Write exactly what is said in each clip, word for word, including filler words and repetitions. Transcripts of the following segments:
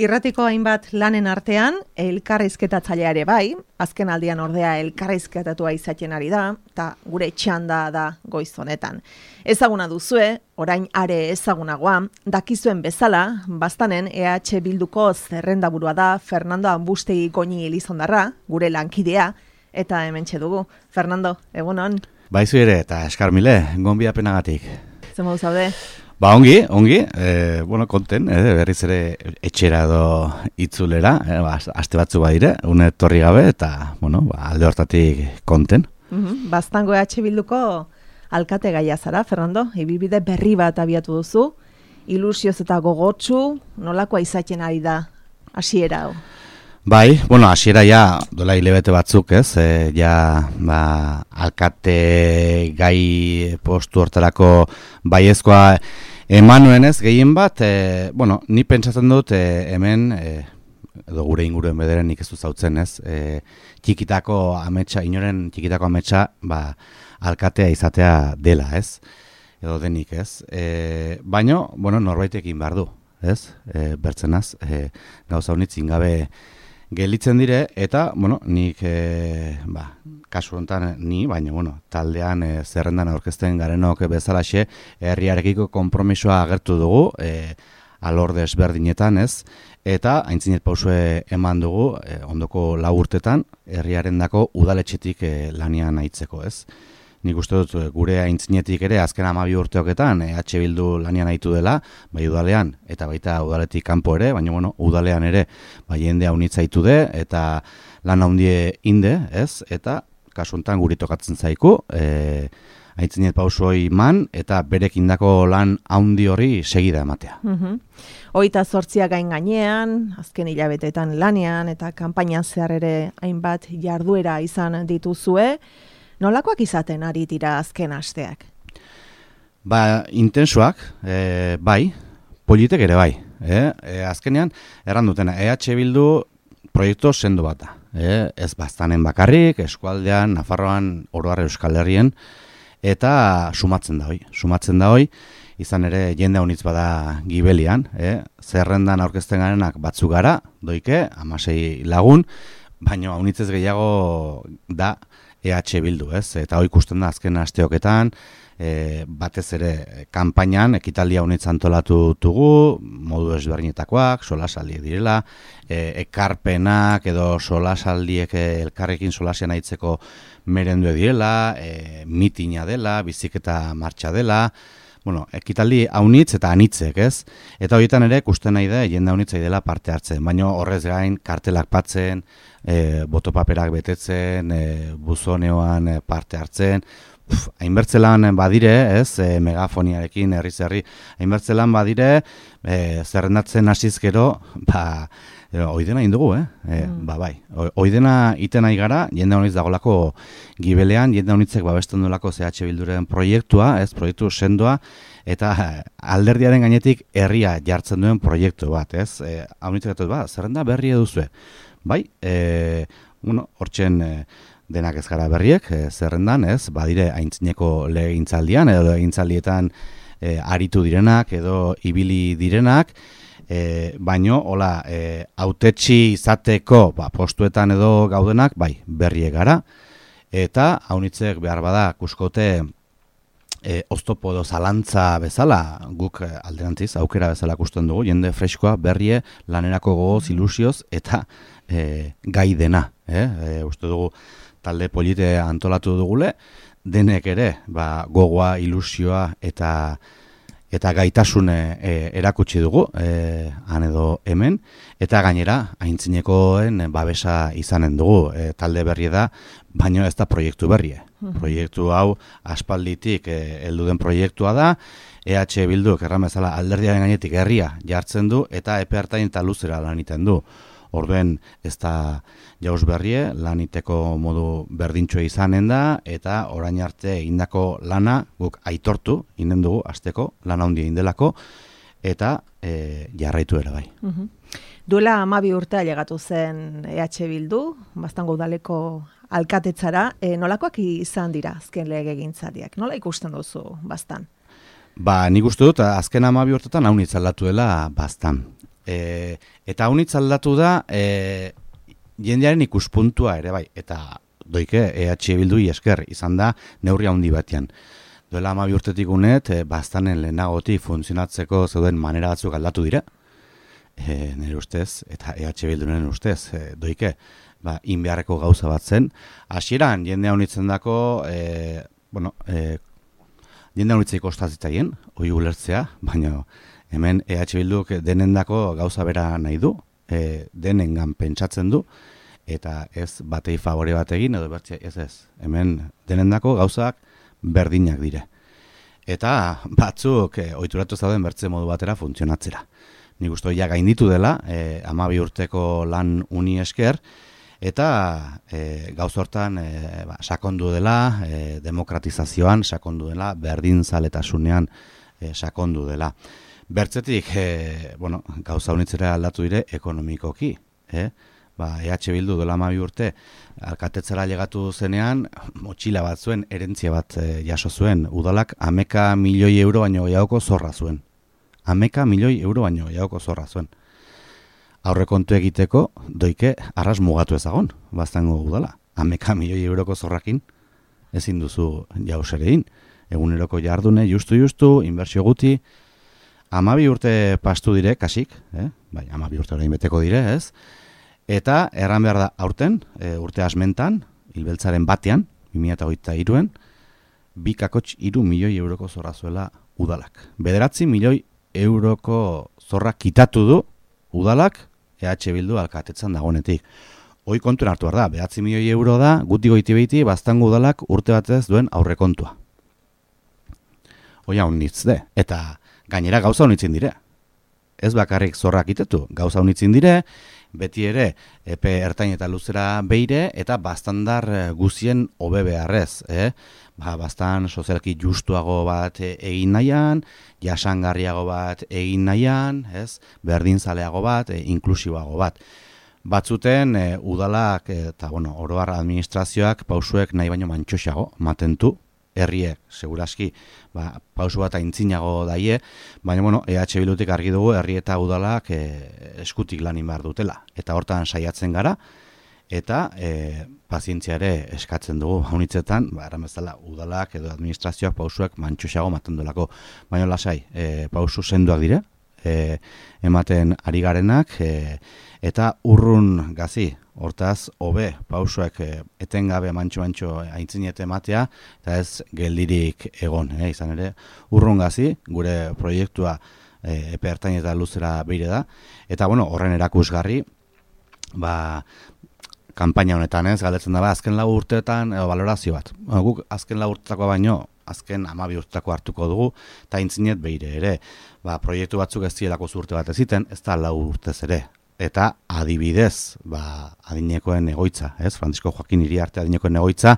Irratiko hainbat lanen artean, elkarrizketatzailea ere bai, azken aldian ordea elkarrizketatua izaten ari da, eta gure txanda da goiz honetan. Ezaguna duzue, orain are ezagunagoa, dakizuen bezala, bastanen E H Bilduko zerrendaburua da Fernando Ambustegi Goñi Elizondarra, gure lankidea, eta hementxe dugu. Fernando, egunon? Baizu ere, eta eskarmile, gonbidapenagatik. Zer modu zaude? Ba, ongi, ongi, e, bueno, konten, e, berriz ere etxera edo itzulera, e, ba, aste batzu badire, une torri gabe, eta, bueno, ba, alde hortatik konten. Mm-hmm. Bastango E H Bilduko alkate gaia zara, Fernando, ibibide berri bat abiatu duzu, ilusioz eta gogotsu, nolakoa izaten ari da hasiera hau? Bai, bueno, hasiera ja, dola hilabete batzuk, ez, e, ja, ba, alkate gai postu hortarako baiezkoa eman nuen ez, gehien bat, e, bueno, ni pentsatzen dut e, hemen, e, edo gure inguruen bederen nik ez du zautzen ez, e, txikitako ametsa, inoren txikitako ametsa, ba, alkatea izatea dela, ez, edo denik, ez, e, baino, bueno, norbaitekin behar du, ez, e, bertzenaz, e, gauza honitzin gabe gelitzen dire, eta, bueno, nik, e, ba, kasu honetan ni, baina, bueno, taldean e, zerrendan aurkezten garenok bezalaxe, herriarekiko konpromisoa agertu dugu, e, alor desberdinetan, ez, eta aintzinet pausue eman dugu, e, ondoko lau urtetan, herriarendako udaletxetik e, lanian aitzeko, ez. Nik uste dut gure aintzinetik ere azken hamabi urteoketan E H Bildu lanian aitu dela, bai udalean eta baita udaletik kanpo ere, baina bueno, udalean ere bai jende haunitza aitu de eta lan handie inde, ez? Eta kasu honetan guri tokatzen zaiku, e, aintzinet pausoi man eta berekindako lan handi hori segida ematea. Mhm. Hogeita zortzia gain gainean, azken hilabetetan lanean eta kanpainan zehar ere hainbat jarduera izan dituzue. Nolakoak izaten ari dira azken asteak? Ba, intensuak, e, bai, politek ere bai. E, e, azkenean, erran dutena, E H Bildu proiektu sendo bat da. E, ez bastanen bakarrik, eskualdean, Nafarroan, oro har Euskal Herrien, eta sumatzen da hoi. Sumatzen da hoi, izan ere jende honitz bada gibelian, e, zerrendan aurkezten garenak batzu gara, doike, hamasei lagun, baina haunitzez gehiago da E H Bildu, ez? Eta hoi ikusten da azken asteoketan, e, batez ere kanpainan ekitaldia honitz antolatu dugu, modu ezberdinetakoak, solasaldiek direla, e, ekarpenak edo solasaldiek elkarrekin solasian aitzeko merendue direla, e, mitina dela, biziketa martxa dela, bueno, ekitaldi haunitz eta anitzek, ez? Eta horietan ere ikusten nahi da jende haunitzai dela parte hartzen, baina horrez gain kartelak patzen, e, botopaperak betetzen, e, buzoneoan e, parte hartzen, Uf, hainbertzelan badire, ez, e, megafoniarekin herriz herri, hainbertzelan badire, e, zerrendatzen hasiz gero, ba, oidena indugu, eh? E, mm. Ba, bai, oidena iten nahi gara, jende honitz dagolako gibelean, jende honitzek babesten duelako C H Bilduren proiektua, ez, proiektu sendoa, eta alderdiaren gainetik herria jartzen duen proiektu bat, ez? E, Haunitzek dut, ba, zerrenda berri eduzue. Bai, e, bueno, hortzen e, denak ez gara berriek, e, zerrendan, ez, badire aintzineko legintzaldian, edo legintzaldietan e, aritu direnak, edo ibili direnak, e, baino, hola, e, autetxi izateko ba, postuetan edo gaudenak, bai, berriek gara, eta haunitzek behar bada kuskote e, oztopo edo zalantza bezala, guk alderantziz, aukera bezala kusten dugu, jende freskoa, berrie, lanerako gogoz, ilusioz, eta e, gai dena, eh? E, uste dugu, talde polite antolatu dugule, denek ere, ba, gogoa, ilusioa eta eta gaitasune e, erakutsi dugu, e, han edo hemen, eta gainera, aintzinekoen babesa izanen dugu, e, talde berri da, baino ez da proiektu berrie. Proiektu hau aspalditik e, heldu den proiektua da, E H Bilduk erran bezala alderdiaren gainetik herria jartzen du, eta epe hartain eta luzera lan egiten du. Orduen ez da jauz berrie, laniteko modu berdintxoa izanen da, eta orain arte egindako lana guk aitortu, inden dugu, azteko, lana handia indelako, eta e, jarraitu ere bai. Uh-huh. Duela hamabi urtea llegatu zen E H Bildu, Bastango udaleko alkatetzara, e, nolakoak izan dira azken legegintzaldiak? Nola ikusten duzu Bastan? Ba, nik uste dut, azken hamabi urtetan haunitz aldatu dela Bastan. E, eta unitz aldatu da e, jendearen ikuspuntua ere bai, eta doike E H Bildui esker izan da neurri handi batean. Duela hamabi urtetik unet, e, bastanen lehenagotik funtzionatzeko zeuden manera batzuk aldatu dira, e, nire ustez, eta E H Bildunen ustez, e, doike, ba, inbeharreko gauza bat zen. Hasieran jendea unitzen dako, e, bueno, e, jendea unitzei kostatzitaien, hori ulertzea, baina hemen E H Bilduk denendako gauza bera nahi du, e, denengan pentsatzen du, eta ez batei favore bat egin, edo bertzea, ez ez, hemen denendako gauzak berdinak dire. Eta batzuk e, ohituratu zauden bertze modu batera funtzionatzera. Nik uste ja gainditu dela, e, hamabi urteko lan uni esker, eta e, gauz hortan e, ba, sakondu dela, e, demokratizazioan sakondu dela, berdinzaletasunean e, sakondu dela. Bertzetik, e, bueno, gauza unitzera aldatu dire ekonomikoki, eh? Ba, E H Bildu dola hamabi urte alkatetzera llegatu zenean, motxila bat zuen, erentzia bat e, jaso zuen, udalak hameka milioi euro baino gehiagoko zorra zuen. Hameka milioi euro baino gehiagoko zorra zuen. Aurrekontu egiteko, doike, arras mugatu ezagon, baztango udala. Hameka milioi euroko zorrakin, ezin duzu jaus ere egin. Eguneroko jardune, justu-justu, inbertsio guti, hamabi urte pastu dire, kasik, eh? Bai, hamabi urte orain beteko dire, ez? Eta erran behar da aurten, e, urte asmentan, hilbeltzaren batean, bi mila hogeita hiruen, bi kakotx hiru milioi euroko zorra zuela udalak. Bederatzi milioi euroko zorra kitatu du udalak E H Bildu alkatetzan dagonetik. Hoi kontuen hartu behar da, bederatzi milioi euro da, guti goiti behiti, baztango udalak urte batez duen aurrekontua. Hoi hau nitz de, eta gainera gauza honitzen dire. Ez bakarrik zorrak itetu, gauza honitzen dire, beti ere epe ertain eta luzera beire, eta bastandar guzien hobe beharrez. Eh? Ba, bastan sozialki justuago bat egin nahian, jasangarriago bat egin nahian, ez? Berdinzaleago bat, e, inklusiboago bat. Batzuten e, udalak eta bueno, oroar administrazioak pausuek nahi baino mantxoxago matentu, herriek, seguraski, ba, pausu bat aintzinago daie, baina, bueno, E H Bildutik argi dugu, herri eta udalak e, eskutik lanin behar dutela. Eta hortan saiatzen gara, eta e, pazientzia ere eskatzen dugu, haunitzetan, ba, erran bezala, udalak edo administrazioak pausuak mantxoxago maten duelako. Baina, lasai, e, pausu senduak dire, e, ematen ari garenak, e, eta urrun gazi, hortaz, hobe, pausuak e, etengabe mantxo-mantxo aintzinet ematea, eta ez geldirik egon, eh, izan ere, urrun gazi, gure proiektua e, epe ertain eta luzera beire da, eta, bueno, horren erakusgarri, ba, kanpaina honetan ez, galdetzen da, azken lau urteetan, edo, valorazio bat. Bueno, guk azken lau urtetakoa baino, azken hamabi urtetako hartuko dugu, eta aintzinet beire ere, ba, proiektu batzuk ez zielako urte bat eziten, ez da lau urtez ere. Eta adibidez, ba, adinekoen egoitza, ez? Francisco Joaquin Iriarte adinekoen egoitza,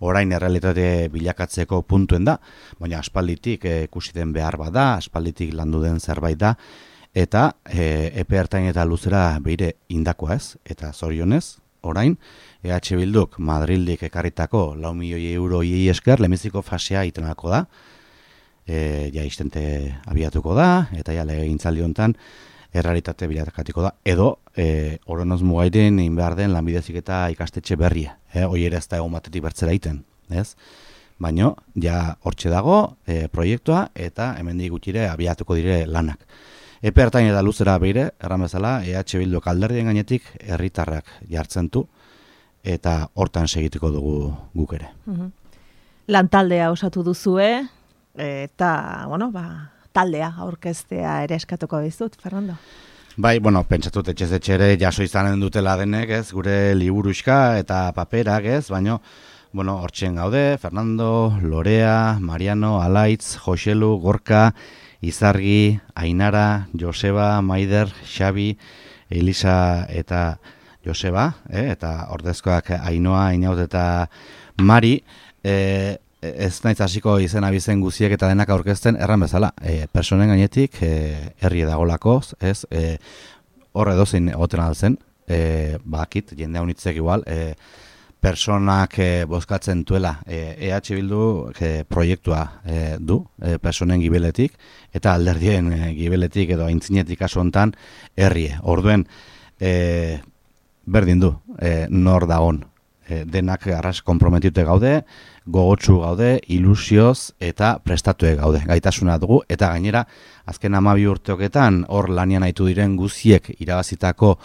orain errealitate bilakatzeko puntuen da, baina aspalditik e, ikusi den behar bada, aspalditik landu den zerbait da, eta e, epe ertain eta luzera beire indakoa ez, eta zorionez, orain, E H Bilduk Madrildik ekarritako lau milioi euro iei esker, lemiziko fasea itenako da, e, ja istente abiatuko da, eta ja legegintzaldi hontan, errealitate bilatakatiko da, edo e, oronoz mugairen egin behar den lanbidezik eta ikastetxe berria. E, hoi ere ez da egon batetik bertzera iten, ez? Baina, ja hortxe dago e, proiektua eta hemendik gutxire abiatuko dire lanak. Epe ertain eta luzera beire, erran bezala, E H Bildu alderdien gainetik herritarrak jartzen du, eta hortan segituko dugu guk ere. Mm-hmm. Lantaldea osatu duzue, eta, bueno, ba, taldea aurkeztea ere eskatuko dizut, Fernando. Bai, bueno, pentsatut etxez etxe ere jaso izanen dutela denek, ez, gure liburuxka eta paperak, ez, baino, bueno, hortxen gaude, Fernando, Lorea, Mariano, Alaitz, Joselu, Gorka, Izargi, Ainara, Joseba, Maider, Xabi, Elisa eta Joseba, eh, eta ordezkoak Ainoa, Inaut eta Mari, eh, ez naiz hasiko izena bizen guziek eta denak aurkezten erran bezala. E, personen gainetik e, herri edagolakoz, ez, e, horre dozein egoten altzen, e, bakit, jende honitzek igual, e, personak e, bozkatzen duela. E, EH Bildu e, proiektua e, du, e, personen gibeletik, eta alderdien e, gibeletik edo aintzinetik kasu hontan herrie. Orduen, e, berdin du, e, nor dagon. E, denak arras komprometute gaude, gogotsu gaude, ilusioz eta prestatue gaude. Gaitasuna dugu, eta gainera, azken hamabi urteoketan, hor lanian aitu diren guziek irabazitako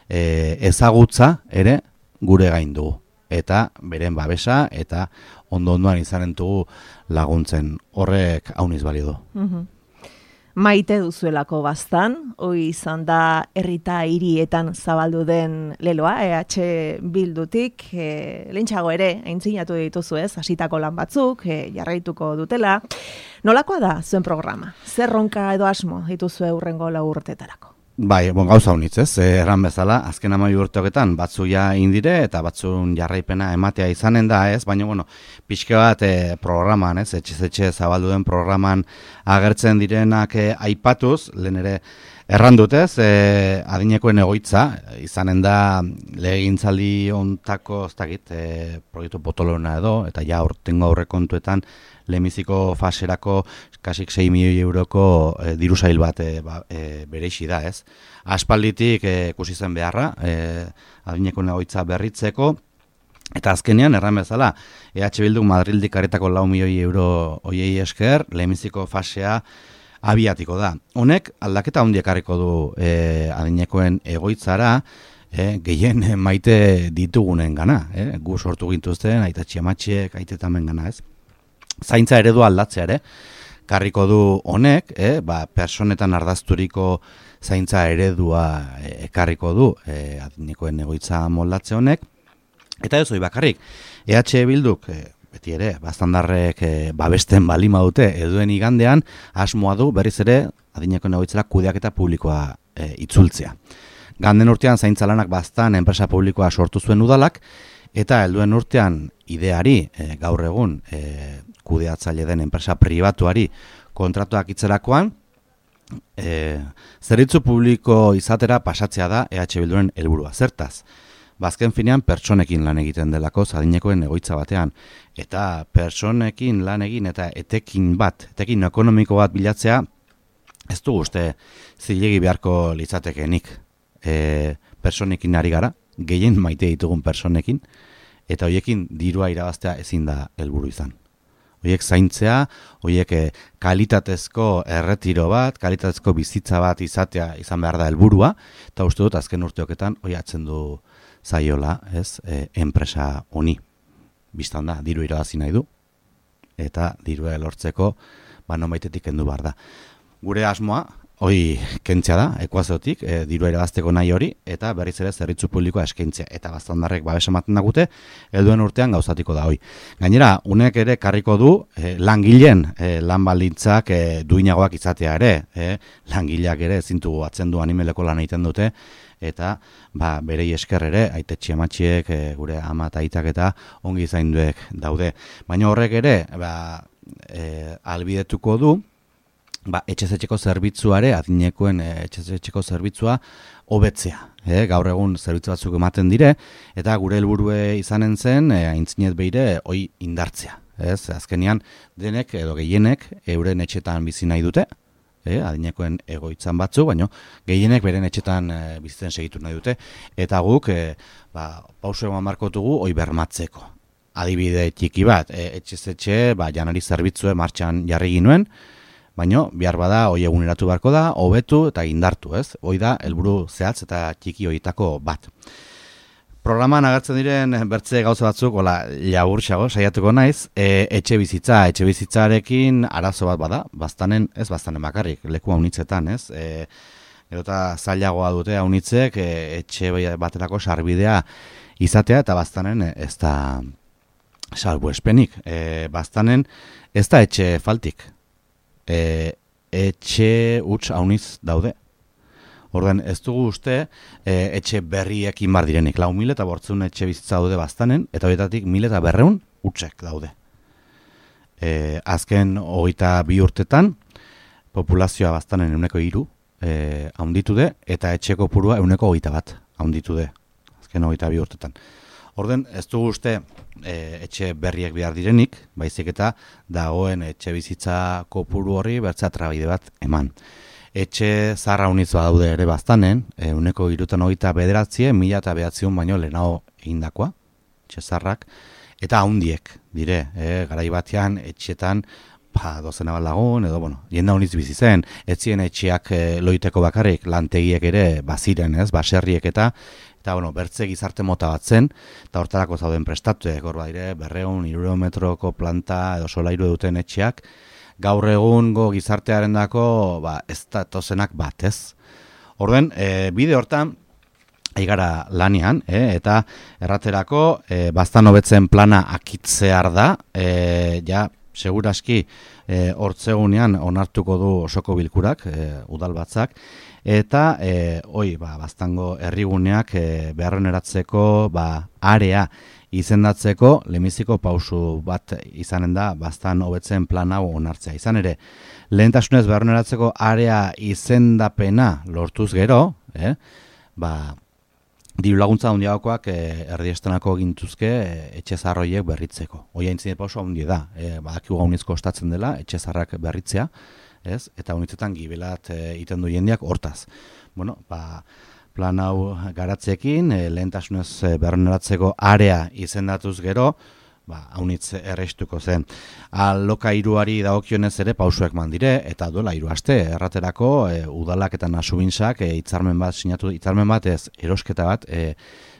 e, ezagutza ere gure gain dugu. Eta beren babesa eta ondo-ondoan izanen dugu laguntzen. Horrek hauniz balio du. Mm-hmm. Maite duzuelako bastan, hoi izan da herrita hirietan zabaldu den leloa, EH Bildutik, e, lehentxago ere, aintzinatu dituzu ez, hasitako lan batzuk, e, jarraituko dutela. Nolakoa da zuen programa? Zer ronka edo asmo dituzue hurrengo lau urtetarako? Bai, bon, gauza honitz, ez, erran bezala, azken amai urteoketan batzu ja indire eta batzun jarraipena ematea izanen da, ez, baina, bueno, pixke bat e, programan, ez, etxe-etxe zabaldu den programan agertzen direnak e, aipatuz, lehen ere errandutez, e, adinekoen egoitza, izanen da legegintzaldi ontako, ez dakit, e, proiektu potolona edo, eta ja urtengo aurrekontuetan lehenbiziko faserako kasik sei milioi euroko e, diru sail bat e, ba, e, bereixi da, ez? Aspalditik e, ikusi zen beharra, e, adinekoen egoitza berritzeko, eta azkenean, erran bezala, EH Bildu Madrildik aretako lau milioi euro hoiei esker, lehenbiziko fasea abiatiko da. Honek aldaketa handiak ekarriko du e, adinekoen egoitzara, e, gehien maite ditugunen gana, e? Gu sortu gintuzten, aitatxi amatxiek, aitetamen gana, ez? Zaintza eredu aldatzea ere, karriko du honek, eh, ba, personetan ardazturiko zaintza eredua ekarriko du eh, adinekoen egoitza moldatze honek, eta ez hori bakarrik, EH Bilduk, eh, beti ere, bastandarrek eh, babesten balima dute eduen igandean, asmoa du berriz ere adinekoen egoitzera kudeaketa publikoa eh, itzultzea. Ganden urtean zaintza lanak bastan enpresa publikoa sortu zuen udalak, eta helduen urtean ideari e, gaur egun e, kudeatzaile den enpresa pribatuari kontratuak itzerakoan, e, zerbitzu publiko izatera pasatzea da EH Bilduren helburua. Zertaz, bazken finean pertsonekin lan egiten delako adinekoen egoitza batean, eta pertsonekin lan egin eta etekin bat, etekin ekonomiko bat bilatzea, ez du uste zilegi beharko litzatekenik. E, personekin ari gara, gehien maite ditugun personekin, eta hoiekin dirua irabaztea ezin da helburu izan. Hoiek zaintzea, hoiek eh, kalitatezko erretiro bat, kalitatezko bizitza bat izatea izan behar da helburua, eta uste dut azken urteoketan hoi atzen du zaiola, ez, e, enpresa honi. Bistan da, diru irabazi nahi du, eta dirua lortzeko, ba, nonbaitetik kendu behar da. Gure asmoa, hoi kentzea da, ekuaziotik, e, dirua irabazteko nahi hori, eta berriz ere zerbitzu publikoa eskaintzea. Eta bastandarrek babes ematen dagute, helduen urtean gauzatiko da hoi. Gainera, unek ere karriko du, e, langileen e, lan baldintzak e, duinagoak izatea ere. E, langileak ere zintu atzen du animeleko lan egiten dute, eta ba, berei esker ere, aitetxi amatxiek, e, gure ama eta aitak eta ongi zainduek daude. Baina horrek ere, ba, e, albidetuko du, ba, etxezetxeko zerbitzuare, adinekoen etxezetxeko zerbitzua hobetzea. E, gaur egun zerbitzu batzuk ematen dire, eta gure helburue izanen zen, e, aintzinet behire, hoi indartzea. Ez, azkenean, denek edo gehienek euren etxetan bizi nahi dute, e, adinekoen egoitzan batzu, baino gehienek beren etxetan e, bizitzen segitu nahi dute, eta guk e, ba, pauso eman markotugu hoi bermatzeko. Adibide txiki bat, e, etxezetxe, ba, janari zerbitzue martxan jarri ginuen, baina behar bada hoi eguneratu beharko da, hobetu eta indartu, ez? Hoi da helburu zehatz eta txiki hoitako bat. Programan agertzen diren bertze gauza batzuk, hola, laburtxago, saiatuko naiz, e, etxe bizitza, etxe bizitzarekin arazo bat bada, bastanen, ez bastanen bakarrik, leku haunitzetan, ez? E, edota zailagoa dute haunitzek, e, etxe baterako sarbidea izatea, eta bastanen ez da salbuespenik. E, bastanen ez da etxe faltik. E, etxe huts hauniz daude. Orduan, ez dugu uste e, etxe berriekin bar direnik. Lau mil eta bortzun etxe bizitza daude bastanen, eta horietatik mil eta berreun hutsek daude. E, azken hogeita bi urtetan, populazioa bastanen euneko hiru e, haunditu de, eta etxeko purua euneko hogeita bat haunditu de. Azken hogeita bi urtetan. Orden, ez dugu uste e, etxe berriek behar direnik, baizik eta dagoen etxe bizitza kopuru horri bertzea trabide bat eman. Etxe zaharra unitz badaude ere baztanen, e, uneko irutan hogeita bederatzie, mila eta behatziun baino lehenago egindakoa, etxe zaharrak, eta haundiek dire, e, garai batean etxetan, ba, dozena bat lagun, edo, bueno, jenda unitz bizi zen, etzien etxeak e, loiteko bakarrik, lantegiek ere baziren, ez, baserriek eta, eta, bueno, bertze gizarte mota bat zen, eta hortarako zauden prestatuek, hor badire, berreun, hirurehun metroko planta edo solairu duten etxeak, gaur egungo gizartearen dako, ba, ez datozenak bat, ez? Orden, e, bide hortan, aigara lanean, e, eta erraterako, e, bastan hobetzen plana akitzear da, e, ja, seguraski, e, hortzegunean onartuko du osoko bilkurak, e, udalbatzak, eta, e, oi, ba, bastango herriguneak e, beharroneratzeko, ba, area, izendatzeko lehenbiziko pausu bat izanen da bastan hobetzen plan hau onartzea. Izan ere, lehentasunez beharroneratzeko area izendapena lortuz gero, eh, ba, diru laguntza handiagokoak eh, erdiestenako gintuzke eh, etxe zaharroiek berritzeko. Hoi aintzine pausu handi da, eh, badakigu gaunizko ostatzen dela, etxe zaharrak berritzea, ez? Eta honitzetan gibelat eh, iten du jendeak hortaz. Bueno, ba, plan hau garatzekin, e, lehentasunez e, beharroneratzeko area izendatuz gero, ba, haunitz erreistuko zen. Alokairuari dagokionez ere pausuek mandire, eta duela hiru aste, erraterako e, udalak eta nasubintzak e, hitzarmen bat sinatu, hitzarmen bat ez, erosketa bat e,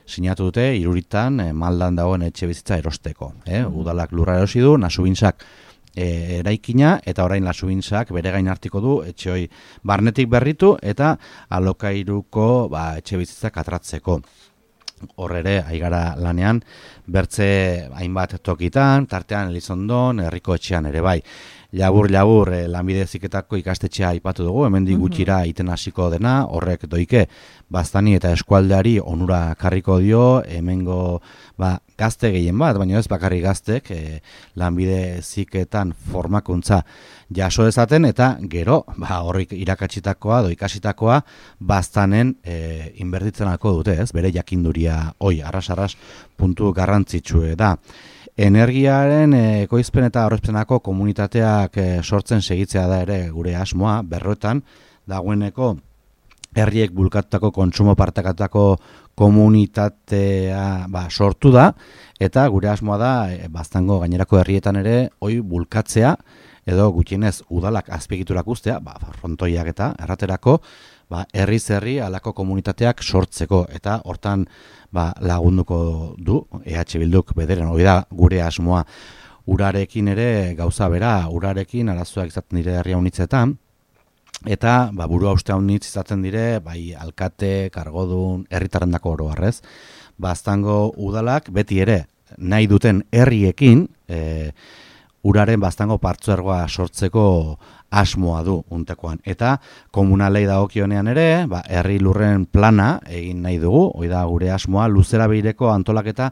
sinatu dute iruritan e, maldan dagoen etxe bizitza erosteko. E, udalak lurra erosi du, nasubintzak E, eraikina, eta orain lasubintzak bere gain hartiko du etxe hoi barnetik berritu eta alokairuko ba, etxe bizitzak atratzeko. Hor ere, aigara lanean, bertze hainbat tokitan, tartean Elizondon, herriko etxean ere bai. Labur, labur, eh, lanbide heziketako ikastetxea aipatu dugu, hemendik gutxira iten hasiko dena, horrek doike baztani eta eskualdeari onura karriko dio, hemengo ba, gazte gehien bat, baina ez bakarrik gaztek, eh, lanbide heziketan formakuntza jaso dezaten, eta gero, ba, horrik irakatsitakoa, do ikasitakoa, baztanen e, inbertitzenako dute, ez? Bere jakinduria, oi, arras-arras puntu garrantzitsue da. Energiaren ekoizpen eta aurrezpenako komunitateak e, sortzen segitzea da ere gure asmoa, berroetan, dagoeneko herriek bulkatutako kontsumo partekatutako komunitatea ba, sortu da, eta gure asmoa da, e, baztango gainerako herrietan ere, oi bulkatzea, edo gutxienez udalak azpiegiturak ustea, ba, frontoiak eta erraterako, ba, herriz herri alako komunitateak sortzeko, eta hortan ba, lagunduko du, E H Bilduk bederen, hori da gure asmoa. Urarekin ere gauza bera, urarekin arazoak izaten dire herria unitzetan, eta ba, burua uste unitz izaten dire, bai alkate, kargodun, herritarrendako oro harrez, baztango udalak beti ere nahi duten herriekin, e, uraren baztango partzuergoa sortzeko asmoa du untekoan. Eta komunalei dagokionean ere, ba, herri lurren plana egin nahi dugu, hori da gure asmoa luzera behireko antolaketa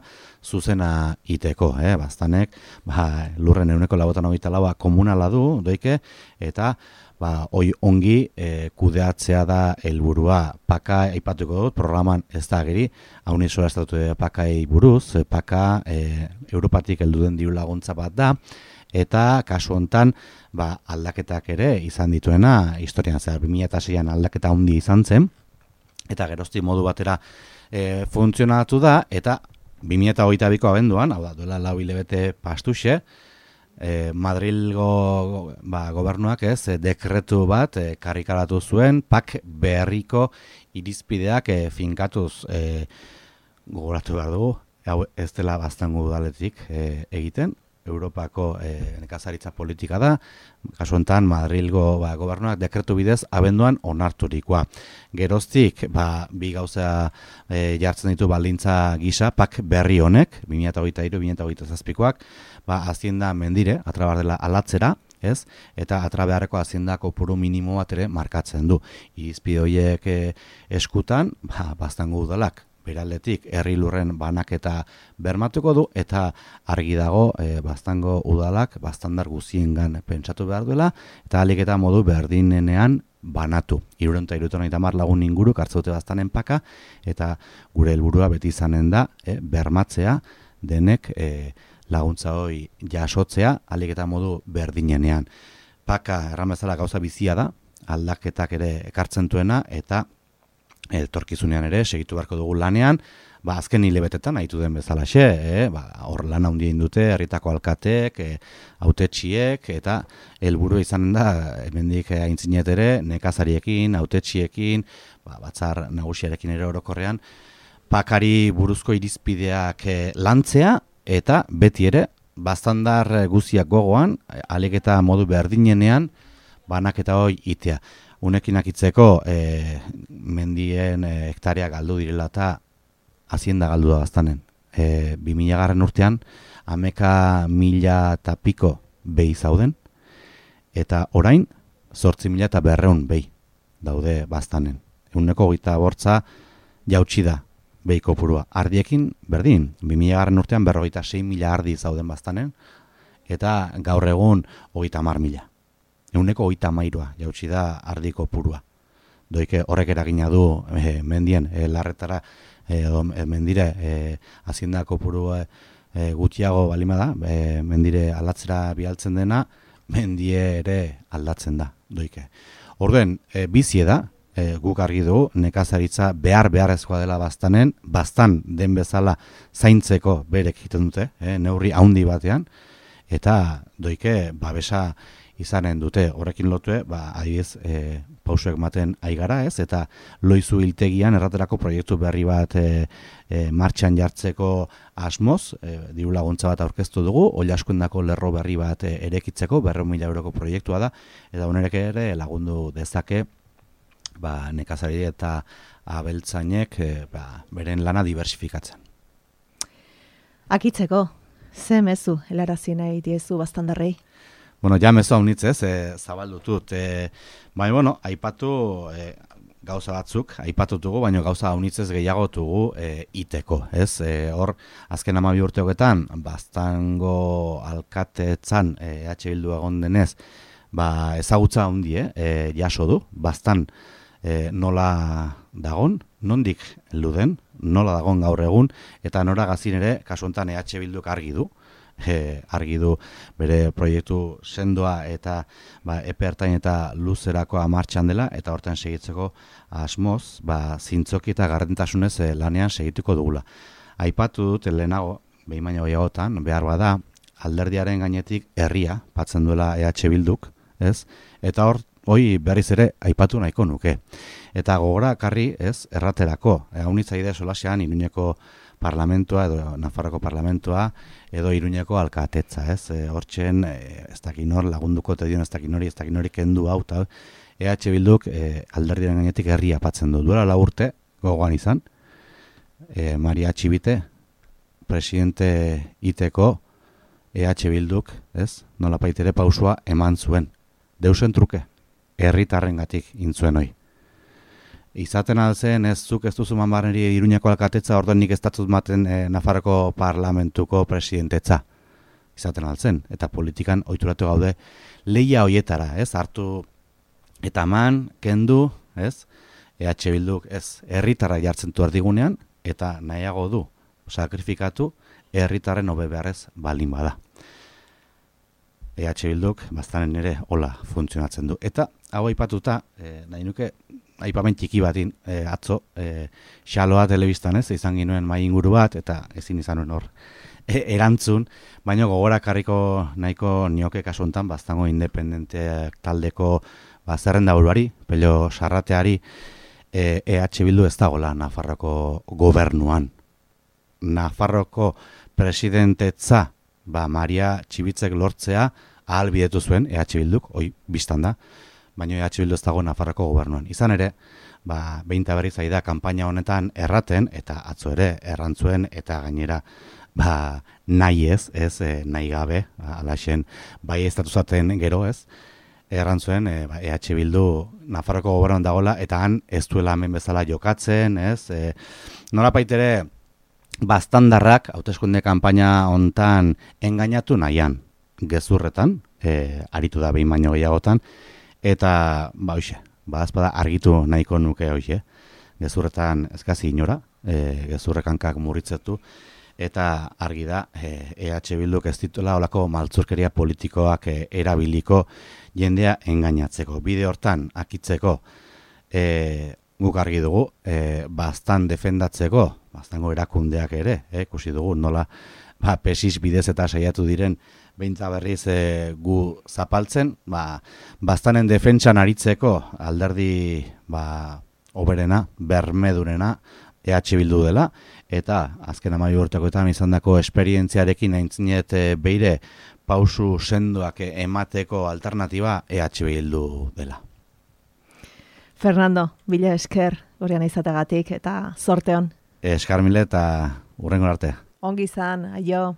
zuzena iteko. Eh? Baztanek ba, lurren ehuneko laurogeita hogeita laua komunala du, doike, eta ba, hoi ongi e, kudeatzea da helburua. Paka aipatuko dut, programan ez da ageri, haun izora estatu pakai buruz, paka e, Europatik heldu den diru laguntza bat da, eta kasu hontan ba, aldaketak ere izan dituena historian zehar bi mila seian aldaketa handi izan zen, eta gerozti modu batera e, funtzionatu da, eta bi mila hogeita biko abenduan, hau da, duela lau hilabete pastuxe, e, Madrilgo ba, gobernuak ez, e, dekretu bat e, karrikaratu zuen, pak berriko irizpideak e, finkatuz e, gogoratu behar dugu, hau ez dela baztango udaletik e, egiten, Europako e, nekazaritza politika da, kasu honetan Madrilgo ba, gobernuak dekretu bidez abenduan onarturikoa. Geroztik, ba, bi gauza e, jartzen ditu baldintza gisa, pak berri honek, bi mila hogeita hiru bi mila hogeita zazpikoak, ba, hazienda mendire, atrabar dela alatzera, ez? Eta atrabeharreko hazienda kopuru minimo bat ere markatzen du. Irizpide horiek e, eskutan, ba, baztango udalak, beraldetik herri lurren banaketa bermatuko du, eta argi dago e, Baztango udalak baztandar guziengan pentsatu behar duela, eta ahalik eta modu berdinenean banatu. Hirurehun eta hirurogeita hamar lagun inguruk hartzen dute Baztanen paka, eta gure helburua beti izanen da e, bermatzea denek e, laguntza hori jasotzea ahalik eta modu berdinenean. Paka erran bezala gauza bizia da, aldaketak ere ekartzen duena, eta etorkizunean ere segitu beharko dugu lanean, ba azken hilebetetan aitu den bezalaxe, eh, ba hor lan handia egin dute herritako alkateek, eh, hautetsiek, eta helburu izanen da hemendik aintzinet ere nekazariekin, hautetxiekin, ba batzar nagusiarekin ere orokorrean pakari buruzko irizpideak eh, lantzea, eta beti ere baztandar guziak gogoan, ahalik eta modu berdinenean banaketa hori itea. Unekin akitzeko e, mendien e, hektaria galdu direla eta hazienda galdu da Baztanen. E, bi mila garren urtean, ameka mila eta piko behi zauden, eta orain, zortzi mila eta berreun behi daude Baztanen. Eguneko gita bortza jautsi da behi kopurua. Ardiekin, berdin, bi mila garren urtean berrogeita sei mila ardi zauden Baztanen, eta gaur egun hogeita hamar mila. Eguneko hogeita hamairua jautsi da ardiko purua. Doike horrek eragina du e, mendien e, larretara e, e, mendire e, haziendako purua e, gutxiago balima da, e, mendire aldatzera bialtzen dena, mendie ere aldatzen da. Doike. Orduen, e, bizie da, e, guk argi dugu, nekazaritza behar beharrezkoa dela Baztanen, Baztan den bezala zaintzeko berek egiten dute, e, neurri handi batean, eta doike babesa izanen dute, horrekin lotue, ba, adibidez, e, pausuek maten aigara ez, eta Loizu hiltegian erraterako proiektu berri bat e, e, martxan jartzeko asmoz, e, diru laguntza bat aurkeztu dugu, Oilaskundako lerro berri bat e, erekitzeko, berrehun mila euroko proiektua da, eta honerek ere lagundu dezake, ba, nekazari eta abeltzainek e, ba, beren lana diversifikatzen. Akitzeko, ze mezu helarazi nahi diezu Baztandarrei? Bueno, ja mezu haunitzez, e, zabaldutut. E, baina, bueno, aipatu e, gauza batzuk, aipatutugu, baina gauza haunitzez gehiago tugu e, iteko, ez? E, hor, azken hamabi urte hogetan, Baztango alkatetzan e, E H Bildu egon denez, ba, ezagutza handi, e, jaso du, Baztan e, nola dagon, nondik luden, nola dagon gaur egun, eta nora gazin ere, kasu honetan E H Bilduk argi du, E, argi du bere proiektu sendoa eta ba, epe ertain eta luzerakoa martxan dela, eta hortan segitzeko asmoz, ba, zintzoki eta gardentasunez e, lanean segituko dugula. Aipatu dut lehenago, behin baino gehiagotan, behar bada, alderdiaren gainetik herria patzen duela E H Bilduk, ez? Eta hor, hoi berriz ere aipatu nahiko nuke. Eta gogora karri, ez, erraterako, e, haunitzaide solasean Iruñeko parlamentua edo Nafarroko parlamentua edo Iruñeko alkatetza, ez? E, hortzen e, ez dakin hor lagunduko te dion ez dakin hori, ez dakin hori kendu hau ta E H Bilduk e, alderdiaren gainetik herria patzen du. Duela lau urte gogoan izan. E, Maria Txibite presidente iteko E H Bilduk, ez? Nolapait ere pausua eman zuen. Deusen truke herritarrengatik intzuen hoi. Izaten alzen ez zuk ez duzu manbarneri Iruñako alkatetza, orduan nik ez datut maten e, Nafarroko parlamentuko presidentetza. Izaten alzen, eta politikan ohituratu gaude lehia hoietara, ez? Hartu eta man, kendu, ez? E H Bilduk ez herritarra jartzen du erdigunean, eta nahiago du sakrifikatu herritarren hobe beharrez baldin bada. E H Bilduk Baztanen ere hola funtzionatzen du. Eta hau aipatuta, e, nahi nuke aipamen txiki batin e, atzo e, xaloa telebistan, ez, izan ginuen mai inguru bat, eta ezin izan nuen hor e, erantzun, baina gogora karriko nahiko nioke kasu honetan Baztango independenteak taldeko ba, zerrenda buruari, Pello Sarrateari, e, E H Bildu ez dagoela Nafarroko gobernuan. Nafarroko presidentetza ba, Maria Txibitzek lortzea ahalbidetu zuen E H Bilduk, hoi biztan da, baina E H Bildu ez dago Nafarroko gobernuan. Izan ere, ba, behin eta berriz ari da kanpaina honetan erraten, eta atzo ere errantzuen, eta gainera ba, nahi ez, ez, e, nahi gabe, alaxen, bai ez datu zaten gero ez, errantzuen e, ba, E H Bildu Nafarroko gobernuan dagoela, eta han ez duela hemen bezala jokatzen, ez? E, nolapait ere, baztandarrak, hauteskunde kanpaina hontan engainatu nahian, gezurretan, e, aritu da behin baino gehiagotan, eta, ba, hoxe, ba, azpada argitu nahiko nuke hoxe, gezurretan ezkazi inora, e, gezurrekankak murritzetu, eta argi da, e, EH Bilduk ez dituela olako maltzurkeria politikoak e, erabiliko jendea engainatzeko. Bide hortan, akitzeko, e, guk argi dugu, e, bastan defendatzeko, bastango erakundeak ere, e, ikusi dugu, nola, ba, pesis bidez eta saiatu diren, beintza berriz e, gu zapaltzen, ba, bastanen defentsan aritzeko alderdi, ba, oberena, bermedurena, E H Bildu dela, eta azken amairu urtekoetan izandako esperientziarekin aintzinet e, beire pausu sendoak emateko alternatiba E H Bildu dela. Fernando, bila esker, gurean izategatik, eta zorte hon. Eskar mile eta hurrengo arte. Ongi izan, aio.